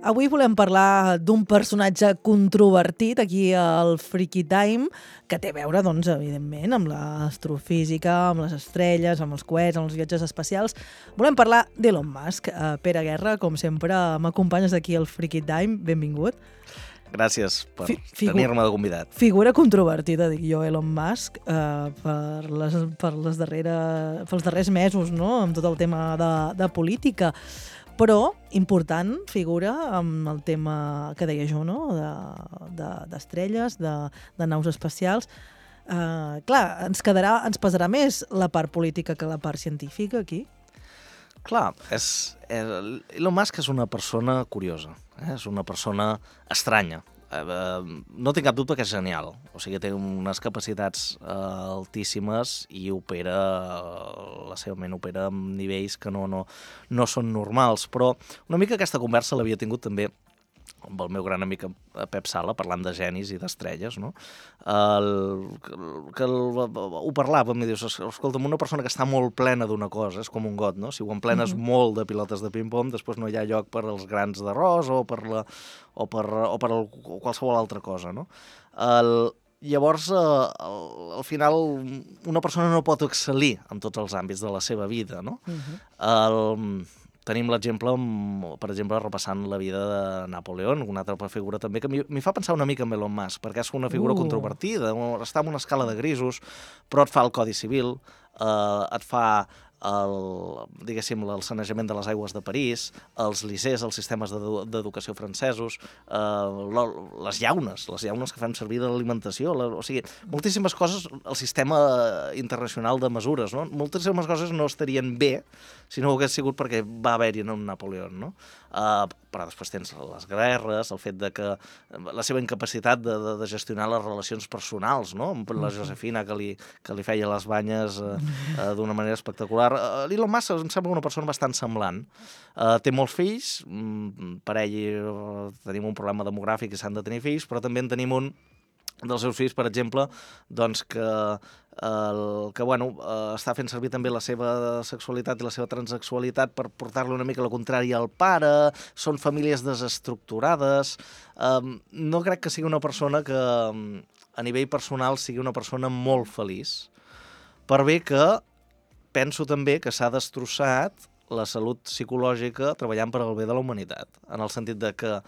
Avui volem parlar d'un personatge controvertit aquí al Freaky Time, que té a veure, doncs, evidentment, amb l'astrofísica, amb les estrelles, amb els coets, amb els viatges espacials. Volem parlar d'Elon Musk. Pere Guerra, com sempre, m'acompanyes aquí al Freaky Time. Benvingut. Gràcies per tenir-me de convidat. Figura controvertida, dic jo, Elon Musk, pels darrers mesos, no?, amb tot el tema de política. Però important figura amb el tema que deia jo, no?, d'estrelles, de naus espacials. Clar, ens pesarà més la part política que la part científica aquí? Clar, Elon Musk és una persona curiosa, és una persona estranya. No tinc cap dubte que és genial, o sigui, té unes capacitats altíssimes i la seva ment opera amb nivells que no són normals, però una mica aquesta conversa l'havia tingut també amb el meu gran amic Pep Sala, parlant de genis i d'estrelles, no? Ho parlàvem, em dius, escolta'm, una persona que està molt plena d'una cosa, és com un got, no? Si ho emplenes molt de pilotes de ping-pong, després no hi ha lloc per als grans d'arròs o per qualsevol altra cosa, no? Llavors, al final, una persona no pot excel·lir en tots els àmbits de la seva vida, no? Tenim l'exemple, per exemple, repassant la vida de Napoleó, una altra figura també, que m'hi fa pensar una mica en Elon Musk, perquè és una figura controvertida, està en una escala de grisos, però et fa el Codi Civil, et fa el sanejament de les aigües de París, els lycées, els sistemes d'educació francesos, les llaunes que fem servir de l'alimentació, o sigui, moltíssimes coses, el sistema internacional de mesures, no? Moltíssimes coses no estarien bé si no ho hagués sigut perquè va haver-hi un Napoleó, no? Però després tens les guerres, el fet de que la seva incapacitat de gestionar les relacions personals, no?, amb la Josefina que li feia les banyes d'una manera espectacular. L'Elon Musk em sembla una persona bastant semblant. Té molts fills, per ell tenim un problema demogràfic i s'han de tenir fills, però també en tenim un dels seus fills, per exemple, doncs que està fent servir també la seva sexualitat i la seva transsexualitat per portar-li una mica la contrària al pare, són famílies desestructurades. No crec que sigui una persona que a nivell personal sigui una persona molt feliç, per bé que penso també que s'ha destrossat la salut psicològica treballant per al bé de la humanitat, en el sentit de que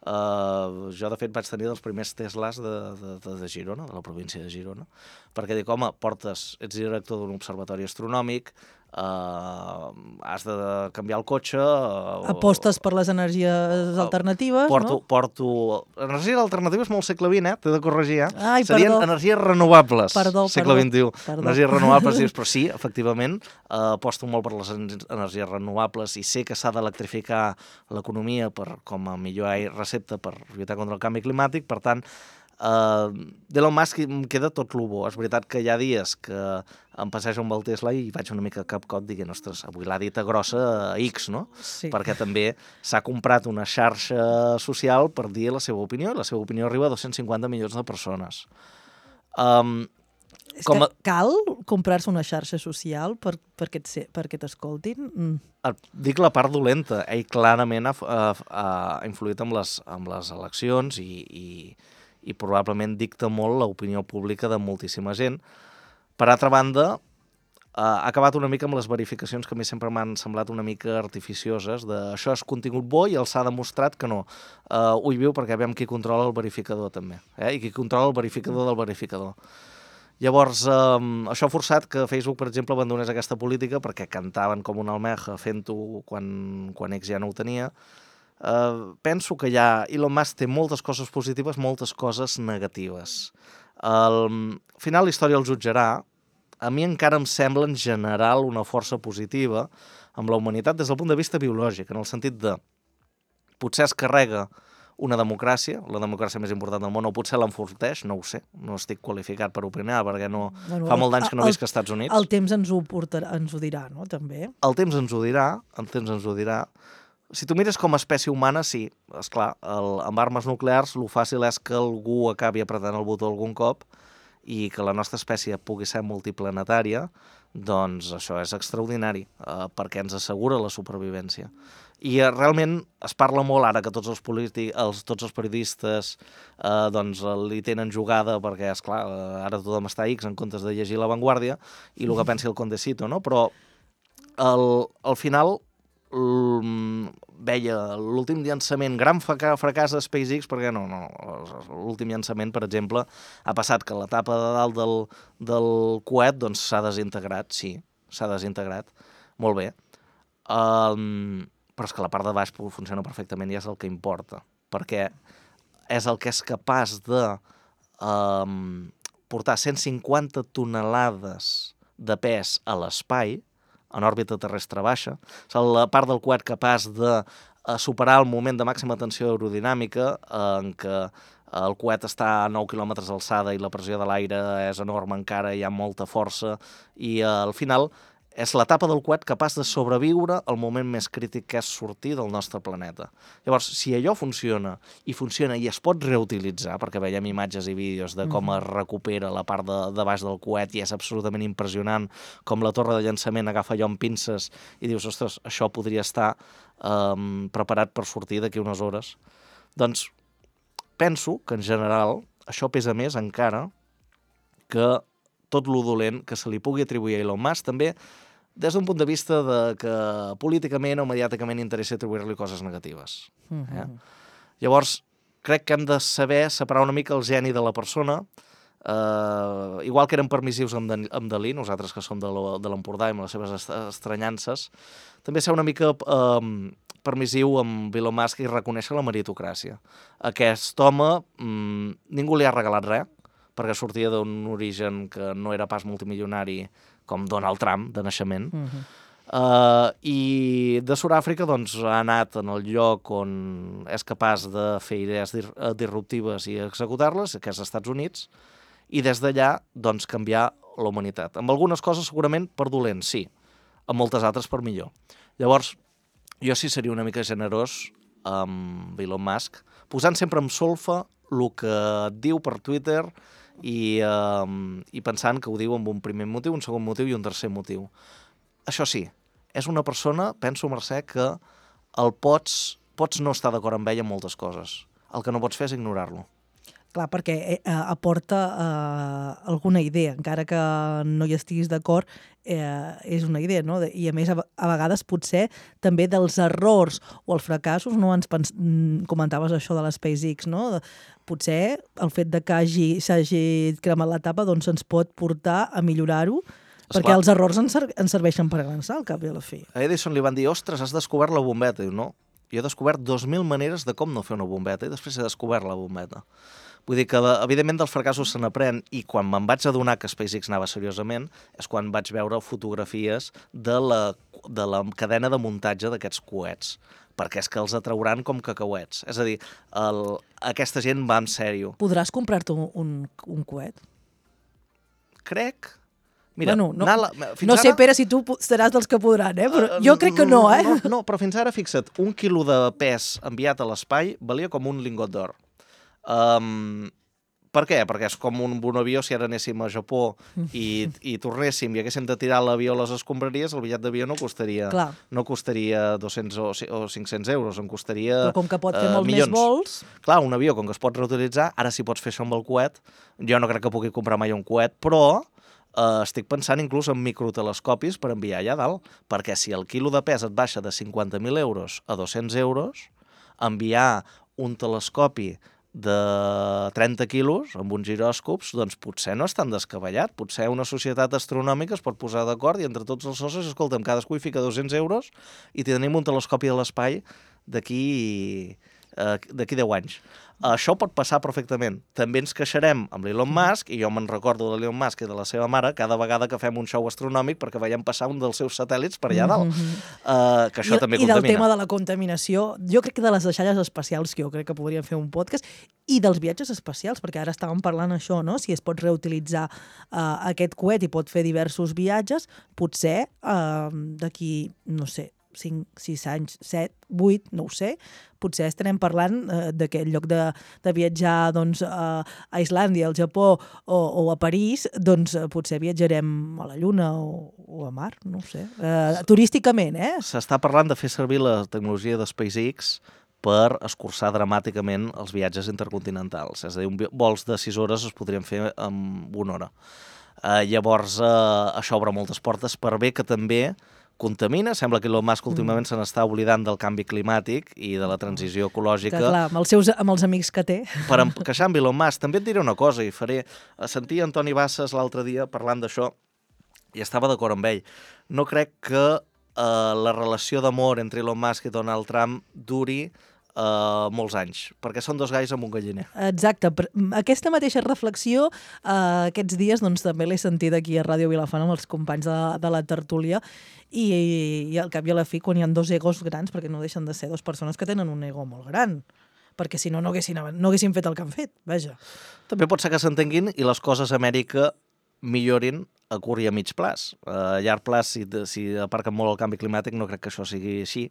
jo, de fet, vaig tenir dels primers Teslas de Girona, de la província de Girona, perquè dic, home, ets director d'un observatori astronòmic, has de canviar el cotxe... Apostes per les energies alternatives, no? Energies alternatives molt segle XX, t'he de corregir, Ai, serien energies renovables, segle XXI. Perdó. Energies renovables, però sí, efectivament, aposto molt per les energies renovables i sé que s'ha d'electrificar l'economia com a millor recepta per lluitar contra el canvi climàtic, per tant, d'Elon Musk em queda tot lo bo. És veritat que hi ha dies que em passejo amb el Tesla i vaig una mica capcot dient, ostres, avui l'ha dita grossa a X, no? Sí. Perquè també s'ha comprat una xarxa social per dir la seva opinió, i la seva opinió arriba a 250 milions de persones. Que cal comprar-se una xarxa social perquè t'escoltin? Dic la part dolenta. Ell clarament ha influït amb les eleccions i probablement dicta molt l'opinió pública de moltíssima gent. Per altra banda, ha acabat una mica amb les verificacions que a mi sempre m'han semblat una mica artificioses, això és contingut bo i els ha demostrat que no. Ho hi viu perquè veiem qui controla el verificador també, i qui controla el verificador del verificador. Llavors, això ha forçat que Facebook, per exemple, abandonés aquesta política perquè cantaven com una almeja fent-ho quan X ja no ho tenia. Penso que Elon Musk té moltes coses positives, moltes coses negatives. Al final la història el jutjarà. A mi encara em sembla en general una força positiva amb la humanitat des del punt de vista biològic, en el sentit de potser es carrega una democràcia, la democràcia més important del món, o potser l'enforteix, no ho sé, no estic qualificat per opinar, perquè fa molt d'anys que no visc als Estats Units. El temps ens ho dirà, no?, també. El temps ens ho dirà. Si tu mires com a espècie humana, sí, esclar, amb armes nuclears el fàcil és que algú acabi apretant el botó algun cop i que la nostra espècie pugui ser multiplanetària, doncs això és extraordinari, perquè ens assegura la supervivència. I realment es parla molt ara que tots els periodistes doncs li tenen jugada perquè, esclar, ara tothom està a X en comptes de llegir La Vanguardia i el que pensi el Condesito, no? Però al final veia l'últim llançament, gran fracàs de SpaceX, perquè l'últim llançament, per exemple, ha passat que la tapa de dalt del coet doncs s'ha desintegrat, sí, s'ha desintegrat, molt bé. Però és que la part de baix funciona perfectament i és el que importa, perquè és el que és capaç de portar 150 tonelades de pes a l'espai, en òrbita terrestre baixa, és la part del coet capaç de superar el moment de màxima tensió aerodinàmica en què el coet està a 9 quilòmetres d'alçada i la pressió de l'aire és enorme encara, hi ha molta força i al final és l'etapa del coet capaç de sobreviure al moment més crític que és sortir del nostre planeta. Llavors, si allò funciona i es pot reutilitzar, perquè veiem imatges i vídeos de com es recupera la part de baix del coet i és absolutament impressionant com la torre de llançament agafa allò amb pinces i dius, ostres, això podria estar preparat per sortir d'aquí unes hores. Doncs penso que en general això pesa més encara que tot lo dolent que se li pugui atribuir a Elon Musk, també des d'un punt de vista de que políticament o mediàticament interessa atribuir-li coses negatives. Llavors, crec que hem de saber separar una mica el geni de la persona, igual que érem permissius amb Dalí, nosaltres que som de l'Empordà i amb les seves estranyances, també ser una mica permissiu amb Elon Musk i reconèixer la meritocràcia. Aquest home, ningú li ha regalat res, perquè sortia d'un origen que no era pas multimilionari com Donald Trump, de naixement. I de Sud-àfrica doncs, ha anat en el lloc on és capaç de fer idees disruptives i executar-les, que és als Estats Units, i des d'allà doncs, canviar la humanitat. Amb algunes coses segurament per dolent, sí. Amb moltes altres per millor. Llavors, jo sí seria una mica generós amb Elon Musk, posant sempre en solfa el que diu per Twitter i pensant que ho diu amb un primer motiu, un segon motiu i un tercer motiu. Això sí, és una persona, penso, Mercè, que el pots no estar d'acord amb ell en moltes coses. El que no pots fer és ignorar-lo. Clar, perquè aporta alguna idea, encara que no hi estiguis d'acord, és una idea, no? I a més, a vegades potser també dels errors o els fracassos, no? Comentaves això de la SpaceX, no? Potser el fet de que s'hagi cremat l'etapa doncs ens pot portar a millorar-ho, perquè els errors ens serveixen per avançar al cap i a la fi. A Edison li van dir, ostres, has descobert la bombeta. Diu, no, jo he descobert 2.000 maneres de com no fer una bombeta i després he descobert la bombeta. Vull dir que, evidentment, dels fracassos se n'aprèn i quan me'n vaig adonar que SpaceX anava seriosament és quan vaig veure fotografies de la cadena de muntatge d'aquests coets, perquè és que els atrauran com cacauets. És a dir, aquesta gent va en sèrio. Podràs comprar-te un coet? Crec... Mira, bueno, no sé, Pere, si tu seràs dels que podran, però jo crec que no, No, però fins ara, fixa't, 1 quilo de pes enviat a l'espai valia com un lingot d'or. Per què? Perquè és com un avió, si ara anéssim a Japó i tornéssim i haguéssim de tirar l'avió a les escombraries, el bitllet d'avió no costaria 200 o 500 euros, em costaria però com que pot fer molts milions. Més vols... Clar, un avió, com que es pot reutilitzar, ara sí pots fer això amb el coet. Jo no crec que pugui comprar mai un coet, però estic pensant inclús en microtelescopis per enviar allà dalt, perquè si el quilo de pes et baixa de 50.000 euros a 200 euros, enviar un telescopi de 30 quilos amb uns giròscops, doncs potser no és tan descabellat. Potser una societat astronòmica es pot posar d'acord i entre tots els socis, escolta'm, cadascú hi fica 200 euros i tenim un telescopi a l'espai d'aquí 10 anys. Això pot passar perfectament. També ens queixarem amb l'Elon Musk, i jo me'n recordo de l'Elon Musk i de la seva mare cada vegada que fem un show astronòmic perquè veiem passar un dels seus satèl·lits per allà dalt. Que això també contamina. I del tema de la contaminació, jo crec que de les deixalles espacials, que jo crec que podríem fer un podcast, i dels viatges espacials, perquè ara estàvem parlant això, no? Si es pot reutilitzar aquest coet i pot fer diversos viatges, potser d'aquí, no sé, 5, 6 anys, 7, 8, no ho sé, potser estarem parlant d'aquest lloc de viatjar doncs, a Islàndia, al Japó o a París, doncs potser viatjarem a la Lluna o a Mar, no ho sé. Turísticament, S'està parlant de fer servir la tecnologia de SpaceX per escurçar dramàticament els viatges intercontinentals. És a dir, vols de 6 hores es podrien fer en 1 hora. Llavors, això obre moltes portes per bé que també contamina. Sembla que Elon Musk últimament se n'està oblidant del canvi climàtic i de la transició ecològica. Que clar, amb els amics que té. Per queixar amb Elon Musk. També et diré una cosa i faré... Sentia Antoni Bassas l'altre dia parlant d'això i estava d'acord amb ell. No crec que la relació d'amor entre Elon Musk i Donald Trump duri molts anys, perquè són 2 gais amb un galliner. Exacte. Aquesta mateixa reflexió aquests dies doncs, també l'he sentit aquí a Ràdio Vilafant amb els companys de la tertúlia i al cap i a la fi, quan hi ha 2 egos grans, perquè no deixen de ser 2 persones que tenen un ego molt gran, perquè si no, no haguessin fet el que han fet, vaja. També pot ser que s'entenguin i les coses a Amèrica millorin a curt i a mig plaç. A llarg plaç, si aparquen molt el canvi climàtic, no crec que això sigui així.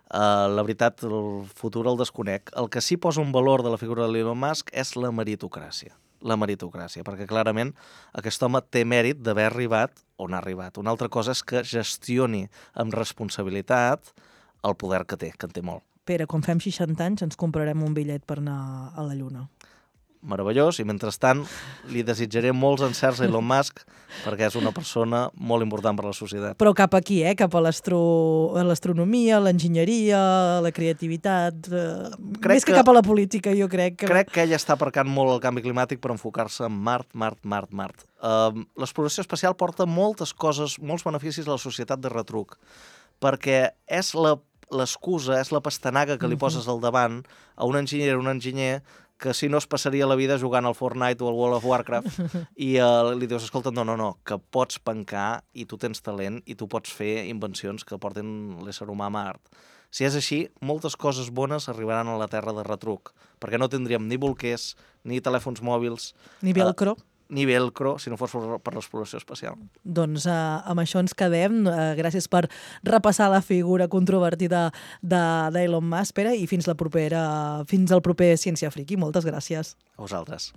La veritat, el futur el desconec. El que sí posa un valor de la figura de l'Elon Musk és la meritocràcia. La meritocràcia, perquè clarament aquest home té mèrit d'haver arribat on ha arribat. Una altra cosa és que gestioni amb responsabilitat el poder que en té molt. Pere, quan fem 60 anys ens comprarem un bitllet per anar a la Lluna. Meravellós, i mentrestant li desitjaré molts encerts a Elon Musk perquè és una persona molt important per a la societat. Però cap aquí, cap a l'astronomia, l'enginyeria, la creativitat, més que cap a la política, jo crec. Crec que ell està aparcant molt el canvi climàtic per enfocar-se en Mart. L'exploració espacial porta moltes coses, molts beneficis a la societat de retruc, perquè és l'excusa, és la pastanaga que li poses al davant a un enginyer o un enginyer que si no es passaria la vida jugant al Fortnite o al World of Warcraft i li dius, escolta, no, que pots pencar i tu tens talent i tu pots fer invencions que porten l'ésser humà a Mart. Si és així, moltes coses bones arribaran a la Terra de retruc, perquè no tindríem ni bolquers, ni telèfons mòbils... Ni velcro. Ni velcro, si no fos per l'exploració espacial. Doncs amb això ens quedem. Gràcies per repassar la figura controvertida d'Elon Musk, Pere, i fins al proper Ciència Friki. Moltes gràcies. A vosaltres.